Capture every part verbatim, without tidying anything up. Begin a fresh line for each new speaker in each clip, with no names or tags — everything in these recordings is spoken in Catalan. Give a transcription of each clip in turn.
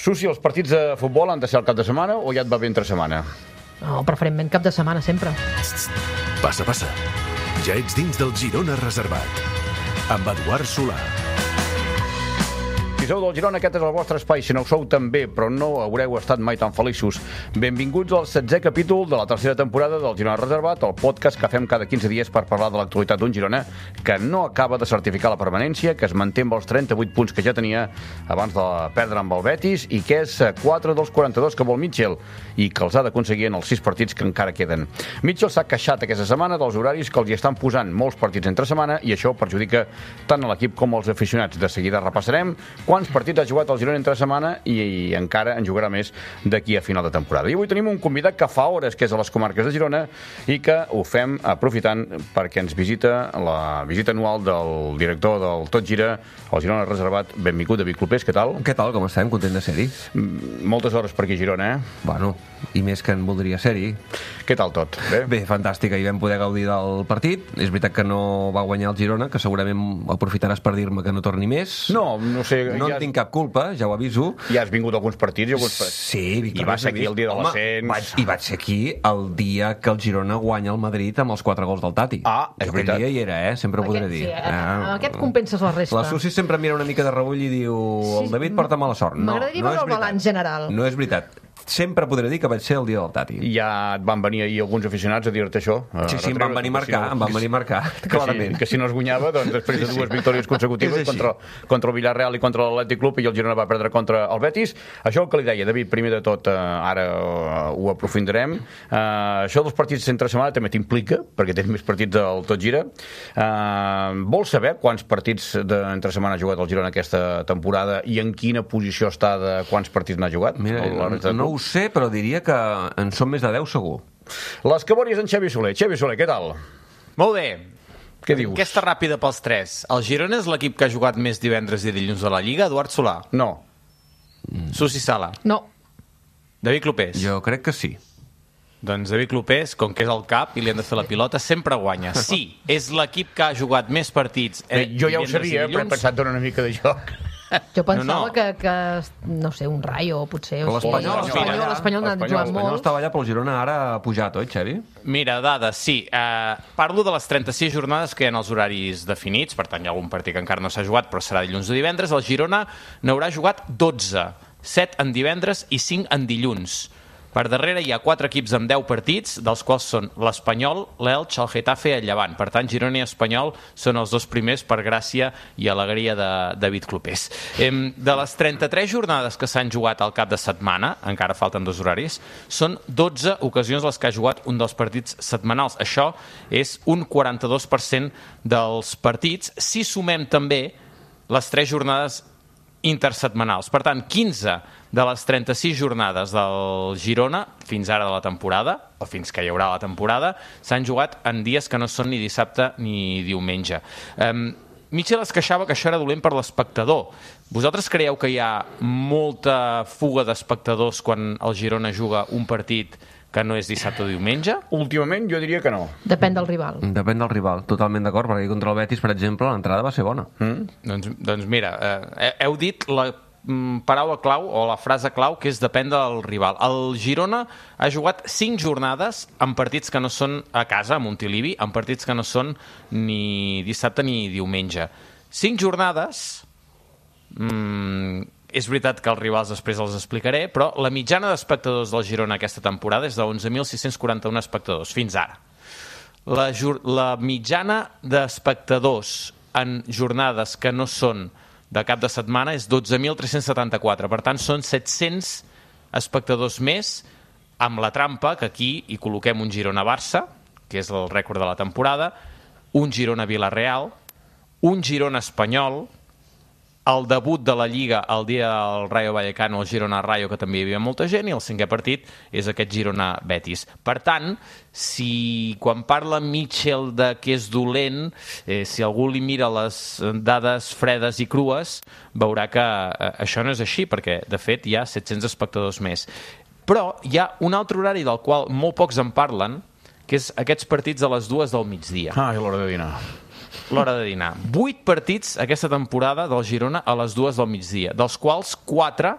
Susi, els partits de futbol han de ser el cap de setmana o ja et va bé entre setmana?
No, preferentment cap de setmana, sempre.
Passa, passa. Ja ets dins del Girona Reservat. Amb Eduard Solà.
Si sou del Girona, aquest és el vostre espai. Si no ho sou, també, però no haureu estat mai tan feliços. Benvinguts al setzè capítol de la tercera temporada del Girona Reservat, el podcast que fem cada quinze dies per parlar de l'actualitat d'un Girona que no acaba de certificar la permanència, que es manté amb els trenta-vuit punts que ja tenia abans de perdre amb el Betis i que és quatre dels quaranta-dos que vol Mitchell i que els ha d'aconseguir en els sis partits que encara queden. Mitchell s'ha queixat aquesta setmana dels horaris que els hi estan posant molts partits entre setmana i això perjudica tant a l'equip com als aficionats. De seguida repassarem quants partits ha jugat el Girona entre setmana i, i encara en jugarà més d'aquí a final de temporada. I avui tenim un convidat que fa hores que és a les comarques de Girona i que ho fem aprofitant perquè ens visita la visita anual del director del Tot Gira, el Girona Reservat. Benvingut, David Clopés, què tal?
Què tal, com estem? Content de ser-hi.
Moltes hores per aquí a Girona, eh?
Bueno, i més que en voldria ser-hi.
Què tal tot? Bé?
Bé, fantàstic, ahir vam poder gaudir del partit. És veritat que no va guanyar el Girona, que segurament aprofitaràs per dir-me que no torni més.
No, no sé...
No
ja...
en tinc cap culpa, ja ho aviso.
Ja has vingut a alguns partits i alguns partits.
Sí,
I vas ser aquí el dia de l'ascens.
I vaig ser aquí el dia que el Girona guanya el Madrid amb els quatre gols del Tati.
Ah, és
jo
veritat.
Aquell dia hi era, eh? Sempre ho podré
Aquest,
dir.
sí, eh?
Ah,
Amb aquest compenses la resta.
La Susi sempre mira una mica de rebull i diu el David porta mala sort. No,
M'agradaria
no
veure
és
el balanç
veritat.
general.
No és veritat. Sempre podré dir que vaig ser el dia del Tati.
Ja et van venir ahir alguns aficionats a dir-te això.
Sí, sí, em van venir a marcar, em van venir a marcar, clarament.
Que si, que si no es guanyava, doncs després de dues victòries consecutives contra, contra el Villarreal i contra l'Atlètic Club i el Girona va perdre contra el Betis. Això el que li deia, David, primer de tot, eh, ara eh, ho aprofundirem. Eh, això dels partits entre setmana també t'implica, perquè tens més partits del Tot Gira. Eh, vols saber quants partits entre setmana ha jugat el Girona aquesta temporada i en quina posició està de quants partits n'ha jugat?
Mira, no, no ho sé, però diria que en són més de deu segur.
Les cabòries d'en Xavi Soler. Xavi Soler, què tal?
Molt bé.
Què dius?
Aquesta ràpida pels tres. El Girona és l'equip que ha jugat més divendres i dilluns de la Lliga, Eduard Solà.
No.
Susi Sala.
No.
David Clopés.
Jo crec que sí.
Doncs David Clopés, com que és el cap i li han de fer la pilota, sempre guanya. Sí, és l'equip que ha jugat més partits
eh, Jo ja ho sabia, però he pensat donar una mica de joc.
Jo pensava
No, no.
Que, que, no sé, un Rayo, potser. O sigui,
L'Espanyol,
l'Espanyol, l'Espanyol n'ha
l'Espanyol,
jugat
L'Espanyol
molt.
estava allà, però el Girona ara ha pujat, oi, Xavi?
Mira, dades, sí. Eh, parlo de les trenta-sis jornades que hi ha en els horaris definits, per tant hi ha algun partit que encara no s'ha jugat, però serà dilluns o divendres. El Girona n'haurà jugat dotze, set en divendres i cinc en dilluns. Per darrere hi ha quatre equips amb deu partits, dels quals són l'Espanyol, l'Elx, el Getafe i el Llevant. Per tant, Girona i Espanyol són els dos primers per gràcia i alegria de David Clopés. De les trenta-tres jornades que s'han jugat al cap de setmana, encara falten dos horaris, són dotze ocasions les que ha jugat un dels partits setmanals. Això és un quaranta-dos per cent dels partits, si sumem també les tres jornades intersetmanals. Per tant, quinze de les trenta-sis jornades del Girona fins ara de la temporada, o fins que hi haurà la temporada, s'han jugat en dies que no són ni dissabte ni diumenge. Um, Mitchell es queixava que això era dolent per l'espectador. Vosaltres creieu que hi ha molta fuga d'espectadors quan el Girona juga un partit que no és dissabte o diumenge?
Últimament jo diria que no.
Depèn del rival.
Depèn del rival, totalment d'acord, perquè contra el Betis, per exemple, l'entrada va ser bona.
Mm?
Doncs, doncs mira, eh, heu dit la mm, paraula clau o la frase clau, que és depèn del rival. El Girona ha jugat cinc jornades en partits que no són a casa, a Montilivi, en partits que no són ni dissabte ni diumenge. Cinc jornades... Mm, és veritat que els rivals després els explicaré, però la mitjana d'espectadors del Girona aquesta temporada és de onze mil sis-cents quaranta-un espectadors, fins ara. La, la mitjana d'espectadors en jornades que no són de cap de setmana és dotze mil tres-cents setanta-quatre. Per tant, són set-cents espectadors més, amb la trampa, que aquí hi col·loquem un Girona-Barça, que és el rècord de la temporada, un Girona-Villarreal, un Girona-Espanyol, el debut de la Lliga el dia del Rayo Vallecano, el Girona-Rayo, que també hi havia molta gent, i el cinquè partit és aquest Girona-Betis. Per tant, si quan parla Mitchell de que és dolent, eh, si algú li mira les dades fredes i crues, veurà que eh, això no és així, perquè, de fet, hi ha set-cents espectadors més. Però hi ha un altre horari del qual molt pocs en parlen, que és aquests partits a les dues del migdia.
Ah, és l'hora de dinar.
L'hora de dinar. Vuit partits aquesta temporada del Girona a les dues del migdia, dels quals quatre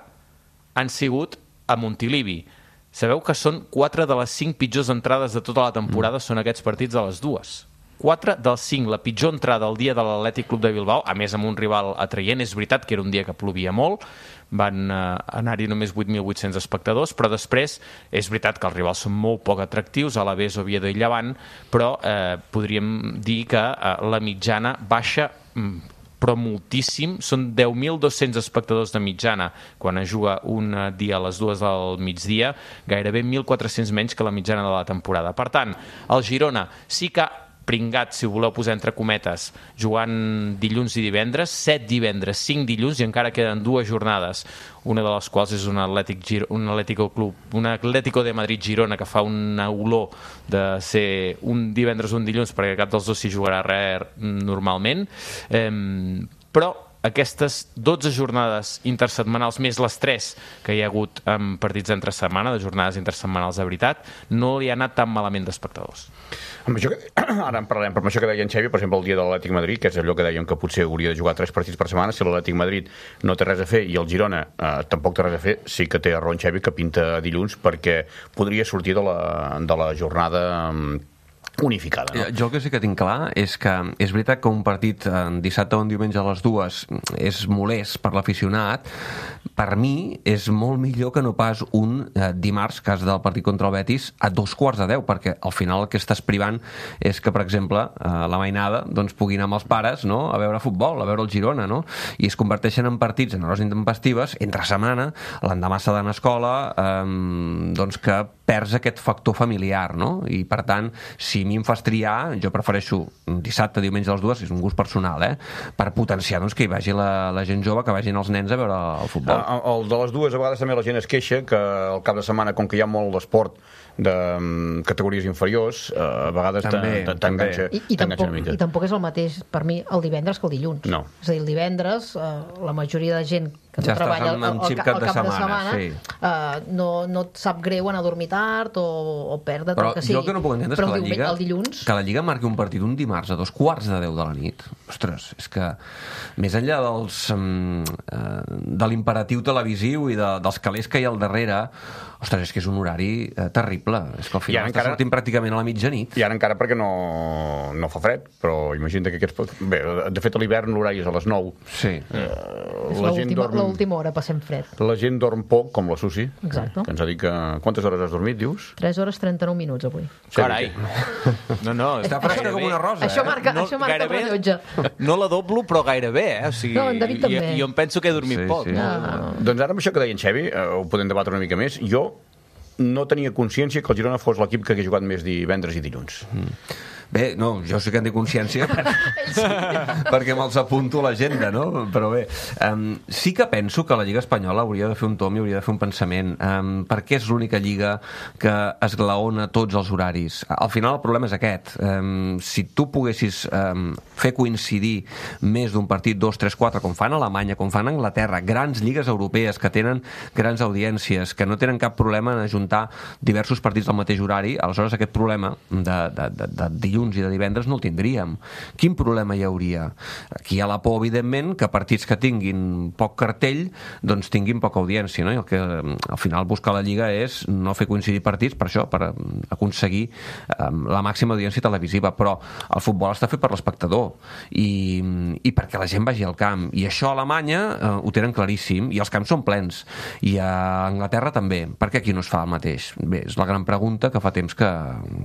han sigut a Montilivi. Sabeu que són quatre de les cinc pitjors entrades de tota la temporada mm. són aquests partits de les dues. quatre dels cinc, la pitjor entrada el dia de l'Atlètic Club de Bilbao, a més amb un rival atraient. És veritat que era un dia que plovia molt, van eh, anar-hi només vuit mil vuit-cents espectadors, però després és veritat que els rivals són molt poc atractius, Alavés, Oviedo i Llevant, però eh, podríem dir que eh, la mitjana baixa però moltíssim, són deu mil dos-cents espectadors de mitjana quan es juga un dia a les dues del migdia, gairebé mil quatre-cents menys que la mitjana de la temporada. Per tant, el Girona sí que pringat, si ho voleu posar entre cometes, jugant dilluns i divendres, set divendres, cinc dilluns, i encara queden dues jornades, una de les quals és un Atlètic, Giro, un Atlético Club, un Atlético de Madrid Girona, que fa una olor de ser un divendres o un dilluns, perquè cap dels dos s'hi jugarà res normalment, eh, però aquestes dotze jornades intersetmanals, més les tres que hi ha hagut en partits entre setmana, de jornades intersetmanals de veritat, no li ha anat tan malament d'espectadors.
Amb això que, ara en parlarem, però amb això que deia en Xavi, per exemple, el dia de l'Atlètic Madrid, que és allò que dèiem que potser hauria de jugar tres partits per setmana, si l'Atlètic Madrid no té res a fer i el Girona eh, tampoc té res a fer, sí que té raó en Xavi, que pinta dilluns, perquè podria sortir de la, de la jornada unificada. No?
Jo el que sí que tinc clar és que és veritat que un partit dissabte o un diumenge a les dues és molest per l'aficionat. Per mi és molt millor que no pas un eh, dimarts, cas del partit contra el Betis, a dos quarts de deu, perquè al final el que estàs privant és que, per exemple, eh, la mainada doncs, pugui anar amb els pares, no?, a veure futbol, a veure el Girona, no? I es converteixen en partits, en hores intempestives, entre setmana, l'endemà s'ha d'anar a escola, eh, doncs que perds aquest factor familiar, no? I per tant, si a mi em fas triar, jo prefereixo dissabte, diumenge a les dues, és un gust personal, eh? Per potenciar doncs, que hi vagi la, la gent jove, que vagin els nens a veure el futbol.
El, el de les dues, a vegades també la gent es queixa que al cap de setmana, com que hi ha molt d'esport de um, categories inferiors, uh, a vegades t'enganxa
I, i, tampoc, I tampoc és el mateix per mi el divendres que el dilluns.
No.
És a dir, el divendres uh, la majoria de gent que
ja
no treballa
amb, amb
el, el, el,
cap
el
de
cap
setmana,
de setmana
sí.
uh, no, no et sap greu anar a dormir tard o, o perdre't
però
el que sigui.
Jo el que no puc entendre és
però
que la Lliga,
el dilluns...
que la Lliga marqui un partit un dimarts a dos quarts de deu de la nit. Ostres, és que més enllà dels, um, uh, de l'imperatiu televisiu i de, dels calés que hi ha al darrere, ostres, és que és un horari uh, terrible. És que al final està encara... sortint pràcticament a la mitjanit.
I ara encara perquè no, no fa fred, però imagina't que aquests... Bé, de fet a l'hivern l'horari és a les nou.
Sí.
Uh,
és l'última dorm... hora passem fred.
La gent dorm poc, com la Susi.
Exacte.
Que ens ha dit que... Quantes hores has dormit, dius?
tres hores trenta-nou minuts avui.
Carai. No, no.
Està fresca com una rosa,
això
eh?
marca,
no,
això marca
gairebé,
el rellotge.
No la doblo, però gairebé, eh? O sigui,
no, en David també.
Jo, jo em penso que he dormit
sí,
poc.
Sí.
No?
No.
Doncs ara amb això que deia en Xavi, eh, ho podem debatre una mica més, jo no tenia consciència que el Girona fos l'equip que hagués jugat més divendres i dilluns.
Mm. Bé, no, jo sí que en té consciència perquè, perquè me'ls apunto a l'agenda, no? Però bé, um, sí que penso que la Lliga Espanyola hauria de fer un tom i hauria de fer un pensament. Um, perquè és l'única lliga que esglaona tots els horaris. Al final el problema és aquest. Um, si tu poguessis um, fer coincidir més d'un partit, dos, tres, quatre, com fan a Alemanya, com fan a Anglaterra, grans lligues europees que tenen grans audiències, que no tenen cap problema en ajuntar diversos partits al mateix horari, aleshores aquest problema de, de, de, de dilluns i de divendres no el tindríem. Quin problema hi hauria? Aquí hi ha la por, evidentment, que partits que tinguin poc cartell doncs tinguin poca audiència, no? I el que al final busca la Lliga és no fer coincidir partits per això, per aconseguir um, la màxima audiència televisiva, però el futbol està fet per l'espectador i, i perquè la gent vagi al camp, i això a Alemanya uh, ho tenen claríssim, i els camps són plens, i a Anglaterra també. Per què aquí no es fa el mateix? Bé, és la gran pregunta que fa temps que,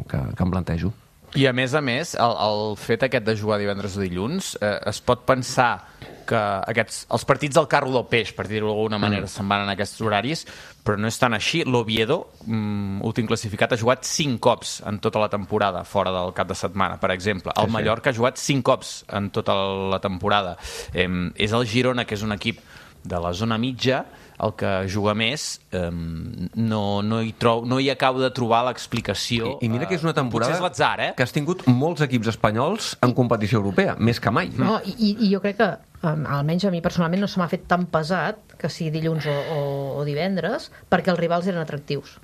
que, que em plantejo.
I a més a més, el, el fet aquest de jugar divendres o dilluns, eh, es pot pensar que aquests, els partits del carro del peix, per dir-ho d'alguna manera, mm. se'n van en aquests horaris, però no és tan així. L'Oviedo, mm, últim classificat, ha jugat cinc cops en tota la temporada, fora del cap de setmana, per exemple. El sí, Mallorca sí. ha jugat cinc cops en tota la temporada. Eh, és el Girona, que és un equip de la zona mitja, el que juga més, eh, no, no, hi trob, no hi acabo de trobar l'explicació.
I, I mira que és una temporada
potser és l'atzar, eh?
que has tingut molts equips espanyols en competició europea, més que mai.
No, i, i jo crec que, um, almenys a mi personalment, no se m'ha fet tan pesat que sigui dilluns o, o, o divendres, perquè els rivals eren atractius.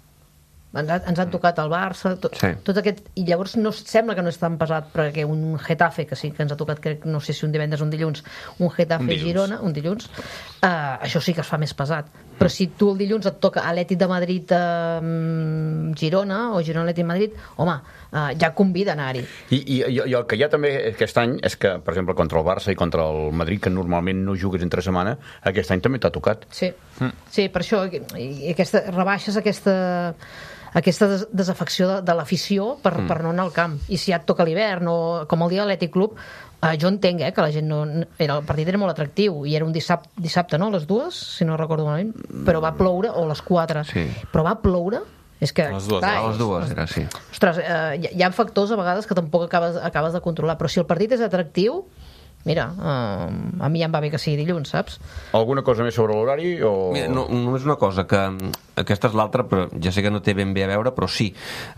Ens, ha, ens han tocat el Barça, tot, sí. tot aquest, i llavors no sembla que no és tan pesat, perquè un Getafe, que sí que ens ha tocat, crec, no sé si un divendres o un dilluns, un Getafe un Girona, un dilluns, uh, això sí que es fa més pesat. però si tu el dilluns et toca Atlètic de Madrid a um, Girona o Girona Atlètic de Madrid, home, uh, ja convida a anar-hi.
I, i, I el que hi ha també aquest any és que, per exemple, contra el Barça i contra el Madrid, que normalment no jugues entre setmana, aquest any també t'ha tocat.
Sí, mm. sí, per això i aquesta, rebaixes aquesta aquesta des desafecció de, de l'afició per, mm. per no anar al camp. I si ja et toca l'hivern o com el dia de l'Atlètic Club, eh, jo entenc eh, que la gent no... Era, el partit era molt atractiu i era un dissabte, dissabte no? A les dues, si no recordo malament, però va ploure, o a les quatre, sí. Però va ploure. És que,
a les dues,
clar,
a les dues era, sí.
Ostres, eh, hi, hi ha factors a vegades que tampoc acabes, acabes de controlar, però si el partit és atractiu, mira, uh, a mi ja em va bé que sigui dilluns, saps?
Alguna cosa més sobre l'horari? O...
Mira, no, només una cosa, que aquesta és l'altra, però ja sé que no té ben bé a veure, però sí,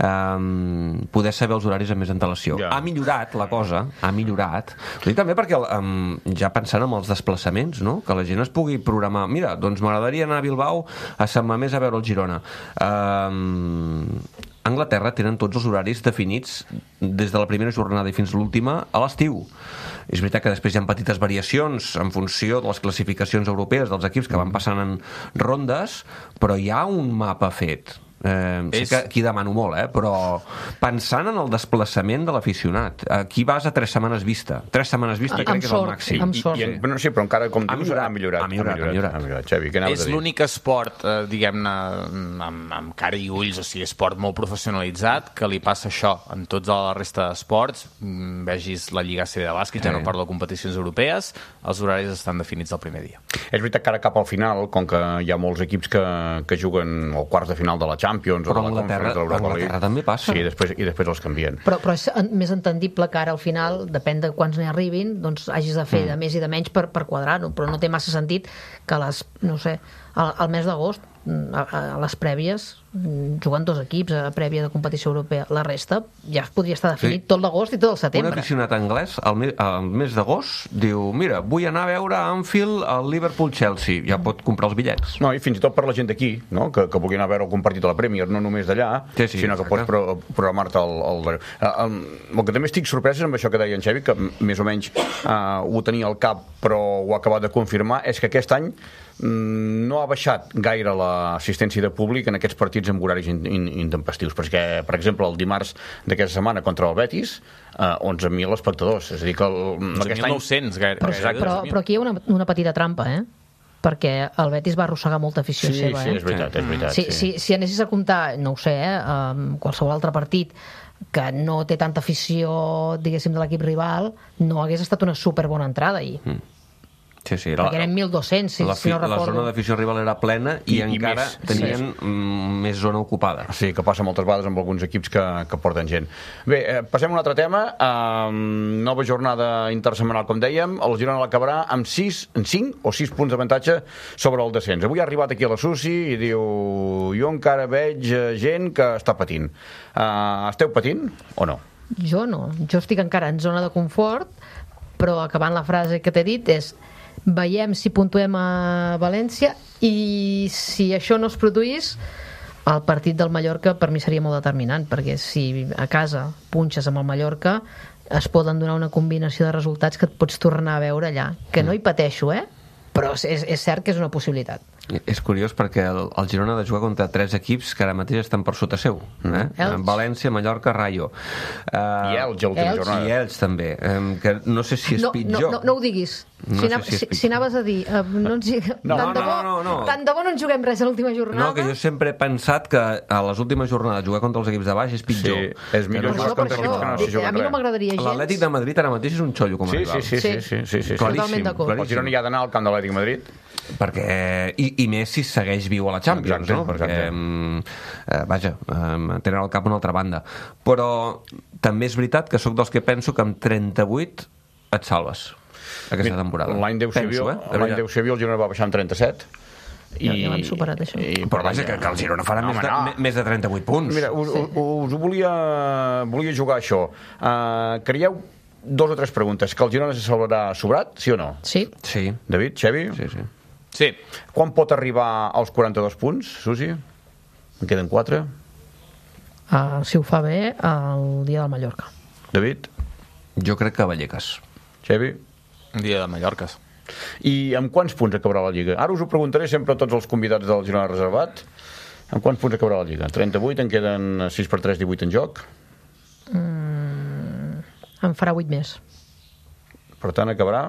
um, poder saber els horaris amb més antelació. Ja. Ha millorat la cosa, ha millorat. Ho dic també perquè, um, ja pensant en els desplaçaments, no? Que la gent es pugui programar. Mira, doncs m'agradaria anar a Bilbao a Sant Mamés a veure el Girona. Um, a Anglaterra tenen tots els horaris definits des de la primera jornada i fins a l'última a l'estiu. És veritat que després hi ha petites variacions en funció de les classificacions europees dels equips que van passant en rondes, però hi ha un mapa fet. Eh, sé
és...
que aquí demano molt, eh? Però pensant en el desplaçament de l'aficionat, aquí vas a tres setmanes vista. Tres setmanes vista
amb
crec que és
sort,
el màxim.
amb sort.
I, i, bueno, sí, però encara, com
ha
dius,
millorat,
ha millorat.
ha millorat, ha millorat.
Ha millorat. Xavi, què anaves
és
a dir?
l'únic esport, eh, diguem-ne, amb, amb cara i ulls, o sigui, esport molt professionalitzat, que li passa això en tots la resta d'esports. Mm, vegis la Lliga A C B de bàsquet, ja no parlo de competicions europees, els horaris estan definits el primer dia.
És veritat que ara cap al final, com que hi ha molts equips que, que juguen al quarts de final de la Champions
però
o de la
Anglaterra,
Conference de l'Europa League.
Anglaterra també passa.
Sí, després, i després els canvien.
Però, però és en, més entendible que ara al final, depèn de quants n'hi arribin, doncs hagis de fer mm. de més i de menys per, per quadrar-ho, però no té massa sentit que les, no sé, al, al mes d'agost a, a les prèvies jugant dos equips a prèvia de competició europea. La resta ja es podria estar definit sí. tot l'agost i tot el setembre.
Un aficionat anglès al mes, al mes d'agost diu, mira, vull anar a veure a Anfield el Liverpool-Chelsea. Ja pot comprar els bitllets.
No, i fins i tot per la gent d'aquí, no? que, que vulgui anar a veure algun partit de la Premier, no només d'allà,
sí, sí,
sinó que pots pro programar-te el, el, el, el... El que també estic sorprès amb això que deia en Xavi, que més o menys uh, ho tenia al cap, però ho ha acabat de confirmar, és que aquest any no ha baixat gaire l'assistència de públic en aquests partits amb horaris in, in, intempestius, perquè, per exemple, el dimarts d'aquesta setmana contra el Betis, eh, onze mil espectadors, és a dir que el,
onze mil nou-cents gaire.
Però, però, però aquí hi ha una, una petita trampa, eh? Perquè el Betis va arrossegar molta afició
sí,
seva.
Sí,
eh?
és veritat, és veritat.
Si,
sí.
si, si anessis a comptar, no ho sé, eh, um, qualsevol altre partit que no té tanta afició, diguéssim, de l'equip rival, no hagués estat una superbona entrada ahir. Mm.
Sí, sí,
perquè eren mil dos-cents, si,
la,
si no recordo.
La zona d'afició rival era plena i, I encara i més, tenien sí. més zona ocupada.
Sí, que passa moltes vegades amb alguns equips que, que porten gent. Bé, eh, passem a un altre tema. Um, nova jornada intersetmanal, com dèiem. El Girona l'acabarà amb sis, cinc o sis punts d'avantatge sobre el descens. Avui ha arribat aquí a la Susi i diu, jo encara veig gent que està patint. Uh, esteu patint o no?
Jo no. Jo estic encara en zona de confort, però acabant la frase que t'he dit és veiem si puntuem a València i si això no es produís, el partit del Mallorca per mi seria molt determinant, perquè si a casa punxes amb el Mallorca es poden donar una combinació de resultats que et pots tornar a veure allà, que no hi pateixo, eh? Però és, és cert que és una possibilitat.
És curiós perquè el, el Girona ha de jugar contra tres equips que ara mateix estan per sota seu, eh?
Elx.
València, Mallorca, Rayo, uh,
i Elx, l'última jornada.
I Elx també, um, que no sé si és
no,
pitjor.
No, no, no ho diguis.
No
si,
sé
si,
si,
si, si anaves a dir uh, no ens,
no,
tant, de bo,
no, no, no.
tant de bo no ens juguem res a l'última jornada.
No, que jo sempre he pensat que a les últimes jornades jugar contra els equips de baix és pitjor.
Sí, és millor
per
jugar
això,
contra
per
equips que no s'hi
això,
juguen
a mi no
res.
m'agradaria gens.
L'Atlètic de Madrid ara mateix és un xollo com a
Sí,
rival.
sí, sí, sí, sí, sí, sí.
Totalment d'acord.
El Girona hi ha d'anar al camp de l'Atlètic de Madrid.
Perquè, i, i més si segueix viu a la Champions,
exacte,
no? Perquè,
exacte.
eh, vaja, eh, tenen al cap una altra banda. Però també és veritat que sóc dels que penso que amb trenta-vuit et salves aquesta temporada.
L'any d'Eusebio
eh?
el Girona va baixar amb trenta-set.
I, ja, ja l'hem superat, això.
I,
però vaja, que, que el Girona farà no, més, de, no. més de trenta-vuit punts.
Mira, us, us, us ho volia, volia jugar això. Uh, creieu dos o tres preguntes. Que el Girona se salvarà sobrat, sí o no?
Sí.
Sí.
David, Xavi?
Sí, sí.
Sí.
Quan pot arribar als quaranta-dos punts, Susi? En queden quatre?
Uh, si ho fa bé, el dia del Mallorca.
David?
Jo crec que Vallecas.
Xavi?
Un dia de Mallorques.
I amb quants punts acabarà la Lliga? Ara us ho preguntaré sempre a tots els convidats del Girona Reservat. Amb quants punts acabarà la Lliga? trenta-vuit, en queden sis per tres, divuit en joc.
Mm, en farà vuit més.
Per tant, acabarà...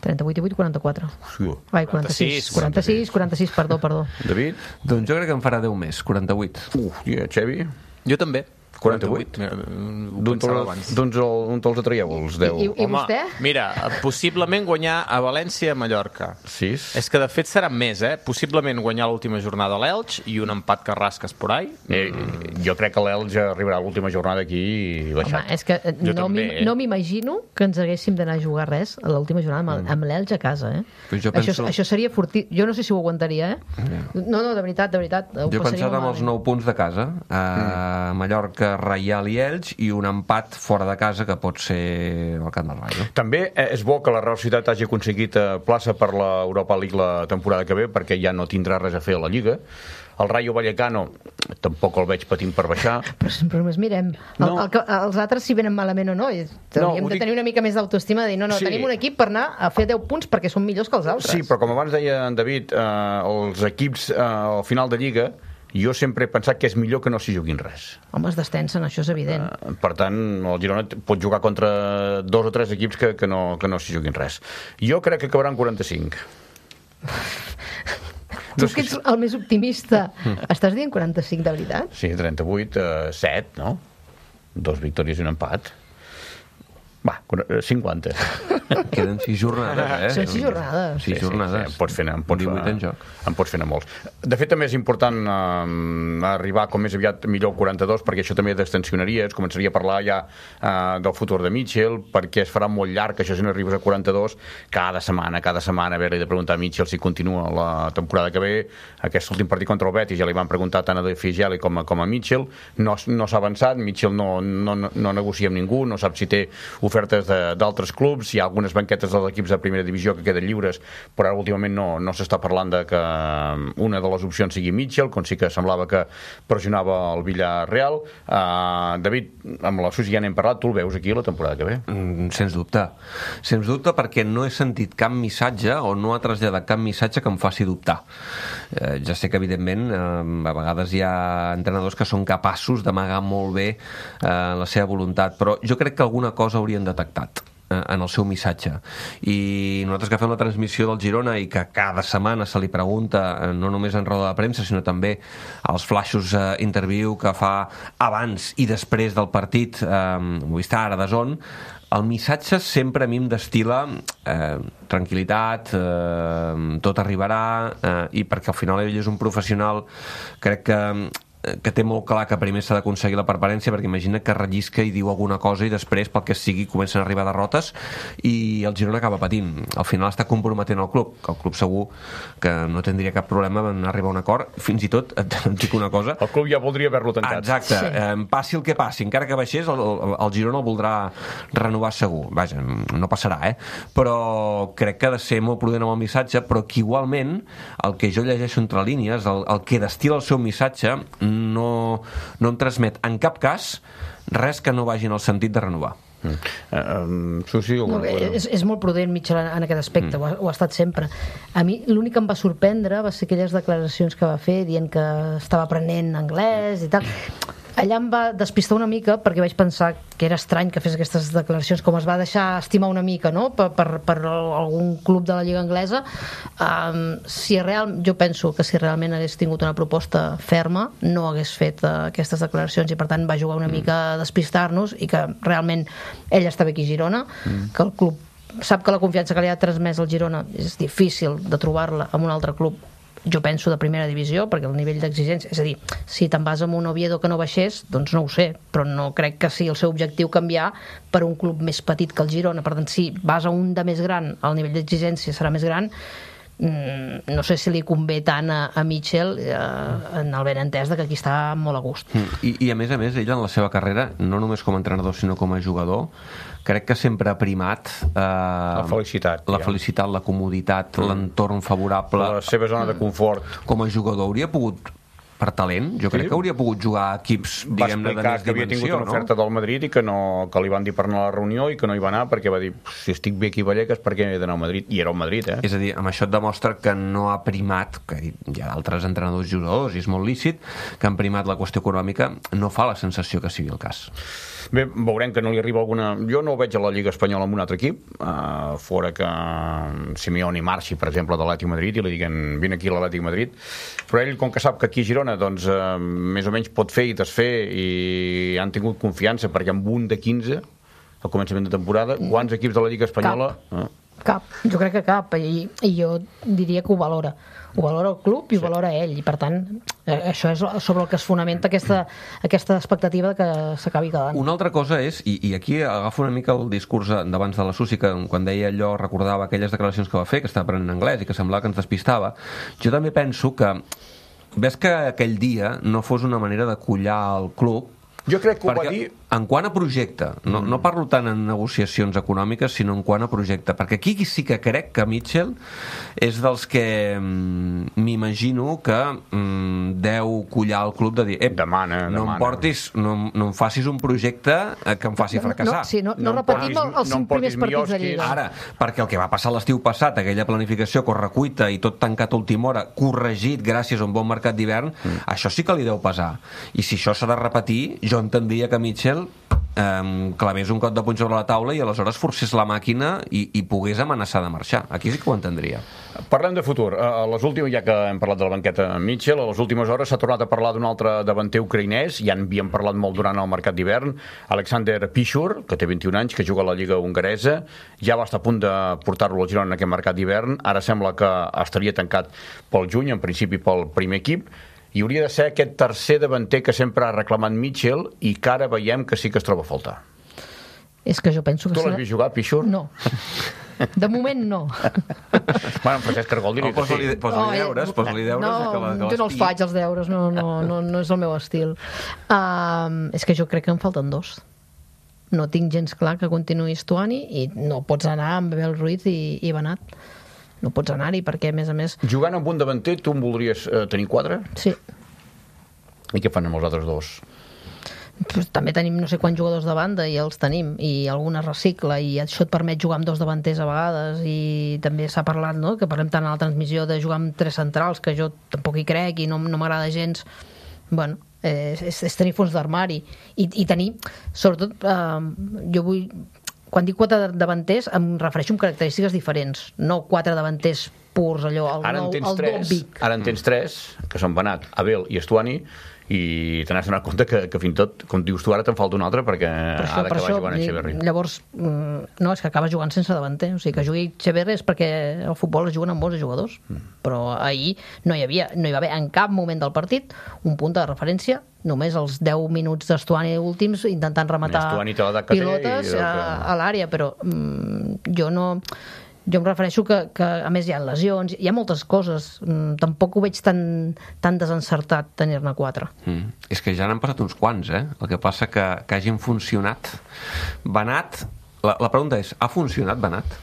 trenta-vuit, divuit, quaranta-quatre.
Sí.
Vai, quaranta-sis, quaranta-sis, quaranta-sis, perdó, perdó.
David?
Doncs jo crec que en farà deu més, quaranta-vuit.
Uf, yeah, Xevi?
Jo també.
quaranta-vuit? D'on te'ls atraieu, els deu?
I, i, i vostè?
Mira, possiblement guanyar a València i a Mallorca.
sis?
És que de fet seran més, eh? Possiblement guanyar l'última jornada a l'Elx i un empat que rasques por ahí.
Eh, jo crec que l'Elx arribarà a l'última jornada aquí i baixat.
Home, és que
Jo
no
també,
m'im-
eh?
no m'imagino que ens haguéssim d'anar a jugar res a l'última jornada amb, amb l'Elx a casa, eh?
Però jo
Això,
penso-
això seria fortí... Jo no sé si ho aguantaria, eh? No, no, de veritat, de veritat. Ho
Jo he
passaria
pensat amb els
malament.
nou punts de casa, a Mallorca, Reial i Elx, i un empat fora de casa que pot ser el Camp del Rayo.
També eh, és bo que la Real Societat hagi aconseguit eh, plaça per l'Europa League la temporada que ve, perquè ja no tindrà res a fer a la Lliga. El Rayo Vallecano tampoc el veig patint per baixar.
Però, però només mirem. El,
No.
el, el, els altres si venen malament o no. I hauríem
ho
de
dic-
tenir una mica més d'autoestima de dir, no, no,
Sí.
tenim un equip per anar a fer deu punts perquè són millors que els altres.
Sí, però com abans deia en David, eh, els equips eh, al final de Lliga, jo sempre he pensat que és millor que no s'hi juguin res.
Home, es destensen, això és evident.
Eh, Per tant, el Girona pot jugar contra dos o tres equips que, que no, que no s'hi juguin res. Jo crec que acabaran quaranta-cinc.
Tu que ets el més optimista, estàs dient quaranta-cinc de veritat?
Sí, trenta-vuit, eh, set, no? Dos victòries i un empat. Va, cinquanta.
Queden sis jornades, eh?
Són sis jornades.
Sis jornades.
Sí, sí, em pots fer, em pots,
divuit en joc.
Em pots fer anar molts. De fet, també és important eh, arribar com més aviat millor al quaranta-dos, perquè això també destensionaria, es començaria a parlar ja eh, del futur de Mitchell, perquè es farà molt llarg, això si no arribes a quaranta-dos, cada setmana, cada setmana, haver-li de preguntar a Mitchell si continua la temporada que ve. Aquest últim partit contra el Betis ja li van preguntar tant a De Figeli com a, com a Mitchell. No, no s'ha avançat, Mitchell no, no, no negocia amb ningú, no sap si té ofertes d'altres clubs, hi ha algunes banquetes dels equips de primera divisió que queden lliures, però ara últimament no, no s'està parlant de que una de les opcions sigui Mitchell, com sí que semblava que pressionava el Villarreal. Uh, David, amb la Susi ja n'hem parlat, tu el veus aquí la temporada que ve?
Mm, sens dubte. Sens dubte perquè no he sentit cap missatge o no ha traslladat cap missatge que em faci dubtar. Eh, ja sé que, evidentment, eh, a vegades hi ha entrenadors que són capaços d'amagar molt bé eh, la seva voluntat, però jo crec que alguna cosa haurien detectat en el seu missatge. I nosaltres que fem la transmissió del Girona i que cada setmana se li pregunta, no només en roda de premsa, sinó també als flaixos eh, interview que fa abans i després del partit, eh, Movistar, a D A Z N, el missatge sempre a mi em destil·la eh, tranquil·litat, eh, tot arribarà, eh, i perquè al final ell és un professional, crec que que té molt clar que primer s'ha d'aconseguir la permanència, perquè imagina que rellisca i diu alguna cosa i després, pel que sigui, comencen a arribar derrotes i el Girona acaba patint. Al final està comprometent el club, que el club segur que no tindria cap problema en arribar a un acord. Fins i tot, et dic una cosa...
El club ja voldria haver-lo tancat.
Exacte.
Sí.
Eh, passi el que passi, encara que baixés, el, el, el Girona el voldrà renovar segur. Vaja, no passarà, eh? Però crec que ha de ser molt prudent amb el missatge, però que igualment el que jo llegeixo entre línies, el, el que destila el seu missatge, no, no em transmet en cap cas res que no vagi en el sentit de renovar.
Mm. Uh, um, Susi,
No,
alguna cosa?
és, és molt prudent Mitchell en, en aquest aspecte, mm. ho, ha, ho ha estat sempre. A mi l'únic que em va sorprendre va ser aquelles declaracions que va fer dient que estava aprenent anglès i tal. Allà em va despistar una mica perquè vaig pensar que era estrany que fes aquestes declaracions, com es va deixar estimar una mica, no?, per, per, per algun club de la Lliga Anglesa. Um, si real, jo penso que si realment hagués tingut una proposta ferma no hagués fet uh, aquestes declaracions i per tant va jugar una mica a despistar-nos i que realment ell està bé aquí a Girona, mm. que el club sap que la confiança que li ha transmès al Girona és difícil de trobar-la en un altre club, jo penso de primera divisió, perquè el nivell d'exigència, és a dir, si te'n vas amb un Oviedo que no baixés, doncs no ho sé, però no crec que sigui el seu objectiu canviar per un club més petit que el Girona. Per tant, si vas a un de més gran, el nivell d'exigència serà més gran. No sé si li convé tant a, a Mitchell eh, en el benentès de que aquí està molt a gust.
I, I a més a més, ell en la seva carrera, no només com a entrenador sinó com a jugador, crec que sempre ha primat eh,
La felicitat.
la
ja.
felicitat, la comoditat, mm. l'entorn favorable.
La seva zona de confort.
Com a jugador hauria pogut per talent, jo crec
Sí.
que hauria pogut jugar a equips,
Va
diguem-ne, de
explicar
més
que havia tingut
dimensió,
una
no?
oferta del Madrid i que, no, que li van dir per anar a la reunió i que no hi va anar perquè va dir, si estic bé aquí a Vallecas, per què he d'anar al Madrid? I era al Madrid, eh?
És a dir, amb això et demostra que no ha primat, que hi ha altres entrenadors i jugadors, i és molt lícit, que han primat la qüestió econòmica, no fa la sensació que sigui el cas.
Bé, veurem que no li arriba alguna... Jo no ho veig a la Lliga Espanyola amb un altre equip, uh, fora que Simeone marxi, per exemple, de l'Atlètic Madrid i li diguen, vine aquí a l'Atlètic Madrid, però ell, com que sap que aquí a Girona, doncs, uh, més o menys pot fer i desfer i han tingut confiança, perquè amb un de quinze, al començament de temporada, quants equips de la Lliga Espanyola...
Cap. Cap, jo crec que cap, i, i jo diria que ho valora. Ho valora el club i ho sí. valora ell, i per tant, eh, això és sobre el que es fonamenta aquesta, aquesta expectativa de que s'acabi quedant.
Una altra cosa és, i, i aquí agafo una mica el discurs d'abans de la Susi, que quan deia allò recordava aquelles declaracions que va fer, que estava aprenent anglès i que semblava que ens despistava. Jo també penso que ves que aquell dia no fos una manera de collar el club.
Jo crec que ho
perquè,
va dir...
En quant a projecte, no, no parlo tant en negociacions econòmiques, sinó en quant a projecte, perquè aquí sí que crec que Mitchell és dels que mm, m'imagino que mm, deu collar el club de dir, ep,
demana,
no
demana.
em portis, no, no em facis un projecte que em faci fracassar.
No, sí, no, no,
No em
repetim
portis-
el- els
no em
cinc primers
portis
partits de
Mioskis.
Lliga.
Ara, perquè el que va passar l'estiu passat, aquella planificació correcuita i tot tancat a última hora, corregit gràcies a un bon mercat d'hivern, mm. això sí que li deu pesar. I si això s'ha de repetir, jo entendria que Mitchell eh, clavés un cop de puny sobre la taula i aleshores forcés la màquina i, i pogués amenaçar de marxar. Aquí sí que ho entendria.
Parlem de futur. A les últimes, ja que hem parlat de la banqueta Mitchell, a les últimes hores s'ha tornat a parlar d'un altre davanter ucraïnès, ja en havíem parlat molt durant el mercat d'hivern, Alexander Piszur, que té vint-i-un anys, que juga a la Lliga hongaresa, ja va estar a punt de portar-lo al Girona en aquest mercat d'hivern, ara sembla que estaria tancat pel juny, en principi pel primer equip, i hauria de ser aquest tercer davanter que sempre ha reclamat Mitchell i que ara veiem que sí que es troba a faltar.
És que jo penso que...
Tu l'has
serà-
vist jugar, Piszur?
No. De moment no.
Bueno, en Francesc Cargol diria
No,
que sí.
posa-li posa-li
eh,
deures, posa-li deures
no,
i que, la, que
jo no els
l'estigui.
faig, els deures, no, no, no, no és el meu estil. Uh, és que jo crec que en falten dos. No tinc gens clar que continuï Stuani i no pots anar amb Abel Ruiz i, i Benat. No pots anar-hi perquè, a més a més...
Jugant amb un davanter, tu en voldries eh, tenir quatre?
Sí.
I què fan amb els altres dos?
Pues, també tenim no sé quants jugadors de banda i els tenim, i alguna recicla i això et permet jugar amb dos davanters a vegades, i també s'ha parlat, no?, que parlem tant a la transmissió de jugar amb tres centrals, que jo tampoc hi crec i no, no m'agrada gens. Bueno, eh, és, és tenir fons d'armari i, i tenir, sobretot eh, jo vull, quan dic quatre davanters em refereixo amb característiques diferents, no quatre davanters purs, allò, el
Ara en
nou,
tens
el
tres,
Dobbik.
ara en tens tres, que són Benat, Abel i Stuani, i te n'has donat compte que, que fins i tot, com dius tu, ara te'n falta un altre perquè
Per això,
ha
per
d'acabar
això,
jugant a Echeverri.
llavors, mm, no, és que acaba jugant sense davanter. O sigui, que jugui Echeverri és perquè al futbol es juguen amb molts jugadors. Mm. Però ahir no hi havia, no hi va haver en cap moment del partit un punt de referència, només els deu minuts d'Estuani últims intentant rematar
Estuani té l'edat que té
pilotes
i el
a,
que-
a l'àrea, però mm, jo no... Jo em refereixo que, que, a més, hi ha lesions, hi ha moltes coses. Mm, tampoc ho veig tan, tan desencertat tenir-ne quatre.
Mm. És que ja n'han passat uns quants, eh? El que passa que, que hagin funcionat. Benat, la, la pregunta és, ha funcionat Benat?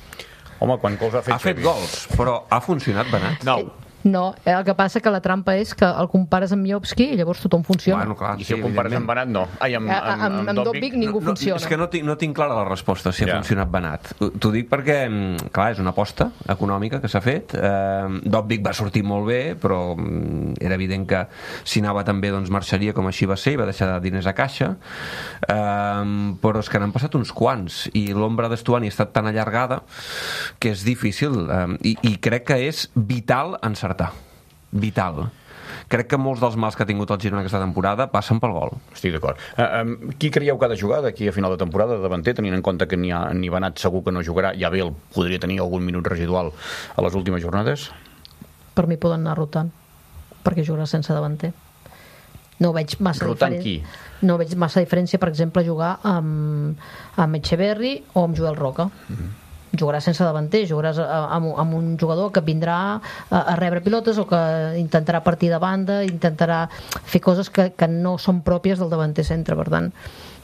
Home, quan gols ha fet
Ha fet
Xavi?
gols, però ha funcionat Benat?
No.
No, eh, el que passa que la trampa és que el compares amb Miovski i llavors tothom funciona.
Bueno, clar,
I si el compares amb Benat, no. Ai, amb,
A-
amb,
amb- amb Dobbik ningú
No,
funciona.
és que no tinc, no tinc clara la resposta si ha
Ja.
funcionat Benat. T'ho dic perquè, mm, clar, és una aposta econòmica que s'ha fet. Eh, Dobbik va sortir molt bé, però mm, era evident que si anava tan bé doncs marxaria, com així va ser, i va deixar diners a caixa. Eh, però és que n'han passat uns quants, i l'ombra d'Estuani ha estat tan allargada que és difícil. Eh, i, I crec que és vital encertar. Vital. Crec que molts dels mals que ha tingut el Girona aquesta temporada passen pel gol.
Estic d'acord. Uh, um, qui creieu que ha de jugar d'aquí a final de temporada de davanter, tenint en compte que ni, ha, ni Benat segur que no jugarà, i Abel podria tenir algun minut residual a les últimes jornades?
Per mi poden anar rotant, perquè jugarà sense davanter. No veig massa
Rotant
diferència. No veig massa diferència, per exemple, jugar amb, amb Echeverri o amb Joel Roca. Mm-hmm. Jugaràs sense davanter, jugaràs amb, amb un jugador que vindrà a, a rebre pilotes o que intentarà partir de banda, intentarà fer coses que, que no són pròpies del davanter centre. Per tant,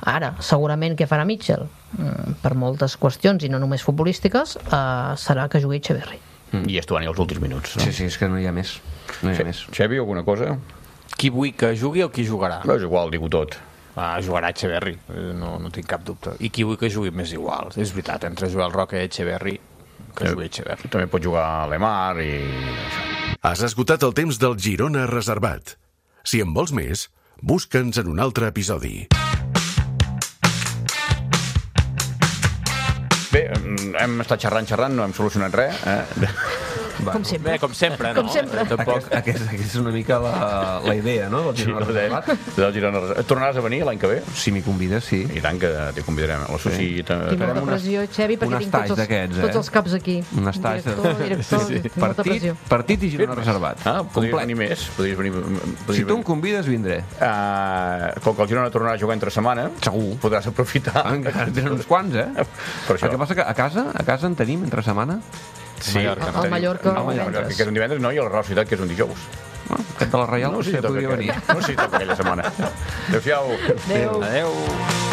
ara, segurament què farà Mitchell? Mm, per moltes qüestions, i no només futbolístiques, eh, serà que jugui Echeverri.
Mm. I Estuani els últims minuts, no?
Sí, sí, és que no hi ha més. No hi ha més.
Xavi, alguna cosa?
qui vull que jugui o qui jugarà?
No, és igual, dic tot.
Ah, jugarà Echeverri, no, no tinc cap dubte. I qui vull que jugui m'és igual. És veritat, entre Joel Roca i Echeverri, que jugui Echeverri.
També pot jugar Lemar i...
Has esgotat el temps del Girona Reservat. Si en vols més, busca'ns en un altre episodi.
Bé, hem estat xerrant, xerrant, no hem solucionat res, eh?
Com sempre.
Bé, com sempre, no?
Com sempre.
Tampoc...
Aquest, aquest, aquest és una mica la, la idea, no? Del Girona Reservat.
Del Girona Reservat. Tornaràs a venir l'any que ve?
Si m'hi convides, sí.
I tant que t'hi convidarem. La Susi...
Tinc molta pressió, Xevi, perquè tinc tots els, tots els caps aquí.
Un estatge.
Director, director,
Sí.
tinc molta
Partit,
pressió.
partit i Girona Reservat.
Ah, podries venir més. Podries venir, podries
Si tu em convides, vindré.
Uh, com que el Girona tornarà a jugar entre setmana,
Segur.
podràs aprofitar.
Encara en tenen uns quants, eh?
Per això.
El que passa que a casa, a casa en tenim entre setmana.
Sí,
Mallorca.
El Mallorca,
el
el
Mallorca,
divendres.
que és un divendres, no, i el Real Societat, que és un dijous.
No, aquest de la Reial
No sé si
potser
toca
podria
aquell-
venir.
No sé si toca aquella setmana. Adéu-siau.
Adéu.
Adéu.